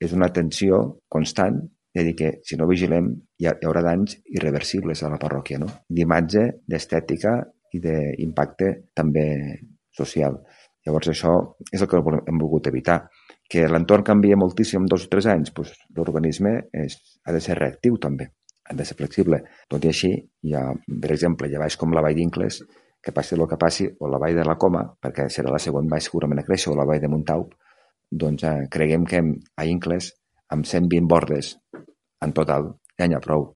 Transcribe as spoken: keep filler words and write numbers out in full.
és una tensió constant de dir que si no vigilem hi, ha, hi haurà danys irreversibles a la parròquia, no? D'imatge, d'estètica i d'impacte també social. Llavors això és el que hem volgut evitar. Que l'entorn canvia moltíssim en dos o tres anys, doncs l'urbanisme ha de ser reactiu també, ha de ser flexible. Tot i així, hi ha, per exemple, hi ha valls com la vall d'Incles, que passi el que passi, o la vall de la Coma, perquè serà la següent vall segurament a créixer, o la vall de Montaup, doncs eh, creguem que a Incles, amb cent vint bordes en total, ja n'hi ha prou.